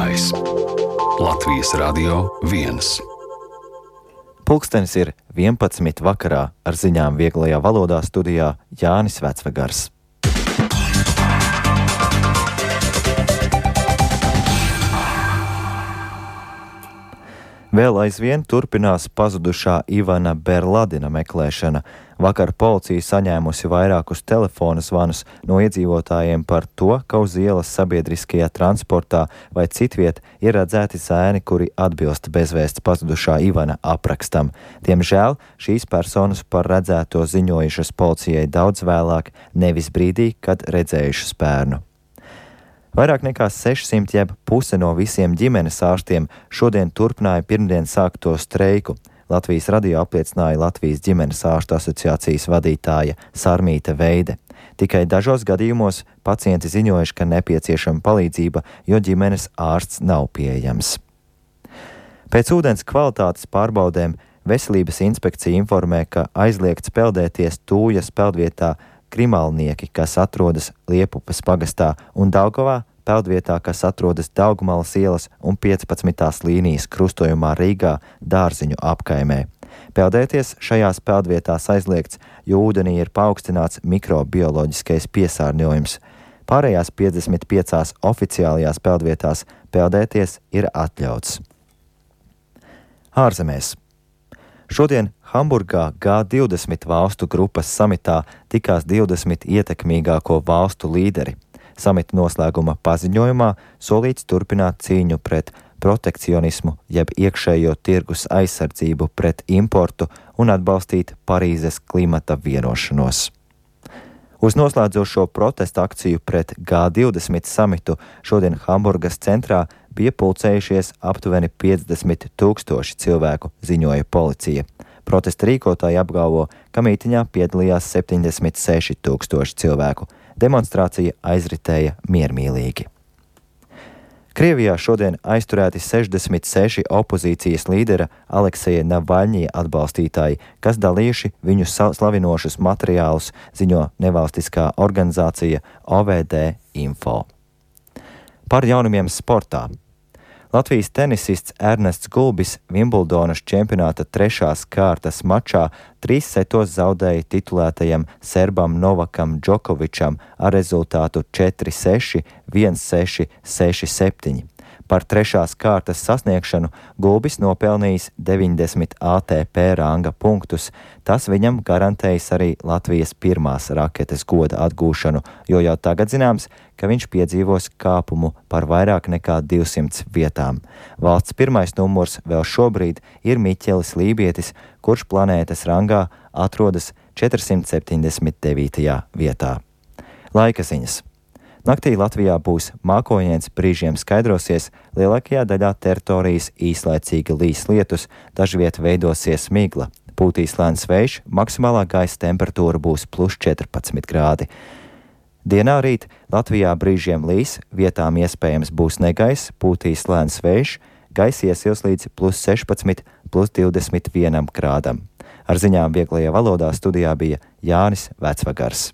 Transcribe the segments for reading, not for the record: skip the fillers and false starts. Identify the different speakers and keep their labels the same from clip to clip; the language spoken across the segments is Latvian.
Speaker 1: Klausītājs Latvijas Radio 1.
Speaker 2: Pulkstenis ir 11 vakarā, ar ziņām vieglajā valodā studijā Jānis Vecvegars. Vēl aizvien turpinās pazudušā Ivana Berladina meklēšana. Vakar policija saņēmusi vairākus telefona zvanus no iedzīvotājiem par to, ka uz ielas sabiedriskajā transportā vai citviet ir redzēti zēni, kuri atbilst bezvēsts pazudušā Ivana aprakstam. Diemžēl šīs personas par redzēto ziņojušas policijai daudz vēlāk, nevis brīdī, kad redzējušas bērnu. Vairāk nekā 600 jeb puse no visiem ģimenes ārstiem šodien turpināja pirmdien sākto streiku. Latvijas radio apliecināja Latvijas ģimenes ārstu asociācijas vadītāja Sarmīte Veide. Tikai dažos gadījumos pacienti ziņojuši, ka nepieciešama palīdzība, jo ģimenes ārsts nav pieejams. Pēc ūdens kvalitātes pārbaudēm Veselības inspekcija informē, ka aizliegts peldēties Tūjas peldvietā Krimalnieki, kas atrodas Liepupes pagastā, un Daugavā peldvietā, kas atrodas Daugmalas ielas un 15. līnijas krustojumā Rīgā Dārziņu apkaimē. Peldēties šajās peldvietās aizliegts, jo ūdenī ir paaugstināts mikrobioloģiskais piesārņojums. Pārējās 55 oficiālajās peldvietās peldēties ir atļauts. Ārzemēs. Šodien Hamburgā G20 valstu grupas samitā tikās 20 ietekmīgāko valstu līderi. Samita noslēguma paziņojumā solīts turpināt cīņu pret protekcionismu jeb iekšējo tirgus aizsardzību pret importu un atbalstīt Parīzes klimata vienošanos. Uz noslēdzošo protestu akciju pret G20 samitu šodien Hamburgas centrā bija pulcējušies aptuveni 50 000 cilvēku, ziņoja policija. Protesta rīkotāji apgalvo, ka mītiņā piedalījās 76 000 cilvēku. Demonstrācija aizritēja miermīlīgi. Krievijā šodien aizturēti 66 opozīcijas līdera Alekseja Navaļņija atbalstītāji, kas dalījuši viņu slavinošus materiālus, ziņo nevalstiskā organizācija OVD Info. Par jaunumiem sportā. Latvijas tenisists Ernests Gulbis Vimbuldonas čempionāta 3. kārtas mačā 3 setos zaudēja titulētajam serbam Novakam Džokovičam ar rezultātu 4-6, 1-6, 6-7. Par 3. kārtas sasniegšanu Gulbis nopelnījis 90 ATP ranga punktus. Tas viņam garantējis arī Latvijas pirmās raketes goda atgūšanu, jo jau tagad zināms, ka viņš piedzīvos kāpumu par vairāk nekā 200 vietām. Valsts pirmais numurs vēl šobrīd ir Miķelis Lībietis, kurš planētas rangā atrodas 479. vietā. Laika ziņas. Naktī Latvijā būs mākoņdienas, brīžiem skaidrosies, lielākajā daļā teritorijas īslaicīgi līs lietus, dažviet veidosies migla. Pūtīs lēns vējš, maksimālā gaisa temperatūra būs +14 grādi. Dienā rīt Latvijā brīžiem līs, vietām iespējams būs negaiss, pūtīs lēns vējš, gaisa iesils līdz +16, +21 grādam. Ar ziņām vieglajā valodā studijā bija Jānis Vecvegars.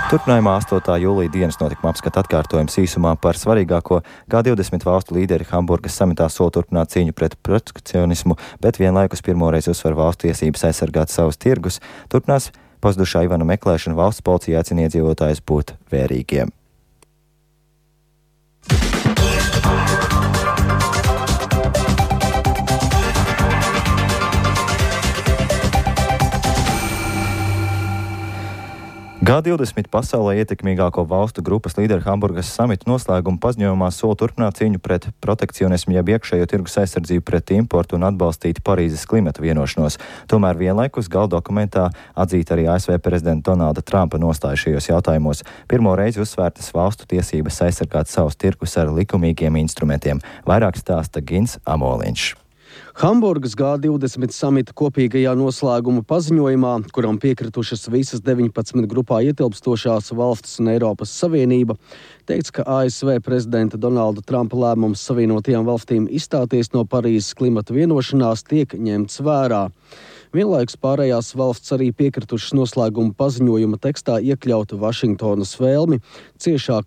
Speaker 2: Turpinājumā 8. jūlija dienas notikuma apskata atkārtojums īsumā par svarīgāko. G20 valstu līderi Hamburgas samitā sola turpināt cīņu pret protekcionismu, bet vienlaikus pirmoreiz uzsver valstu tiesības aizsargāt savus tirgus. Turpinās pazudušā Ivana meklēšana, valsts policija aicina iedzīvotājus būt vērīgiem. G20 pasaulē ietekmīgāko valstu grupas līderi Hamburgas samita noslēguma paziņojumā sola turpināt cīņu pret protekcionismu jeb iekšējo tirgus aizsardzību pret importu un atbalstīt Parīzes klimata vienošanos. Tomēr vienlaikus gala dokumentā atzīt arī ASV prezidenta Donalda Trumpa nostāju šajos jautājumos. Pirmo reizi uzsvērtas valstu tiesības aizsargāt savus tirgus ar likumīgiem instrumentiem. Vairāk stāsta Gins Amoliņš.
Speaker 3: Hamburgas G20 samita kopīgajā noslēguma paziņojumā, kuram piekritušas visas 19 grupā ietilpstošās valstis un Eiropas Savienība, teikts, ka ASV prezidenta Donalda Trumpa lēmums Savienotajām valstīm izstāties no Parīzes klimata vienošanās tiek ņemts vērā. Vienlaikus pārējās valsts arī piekritušas noslēguma paziņojuma tekstā iekļaut Vašingtonas vēlmi ciešāk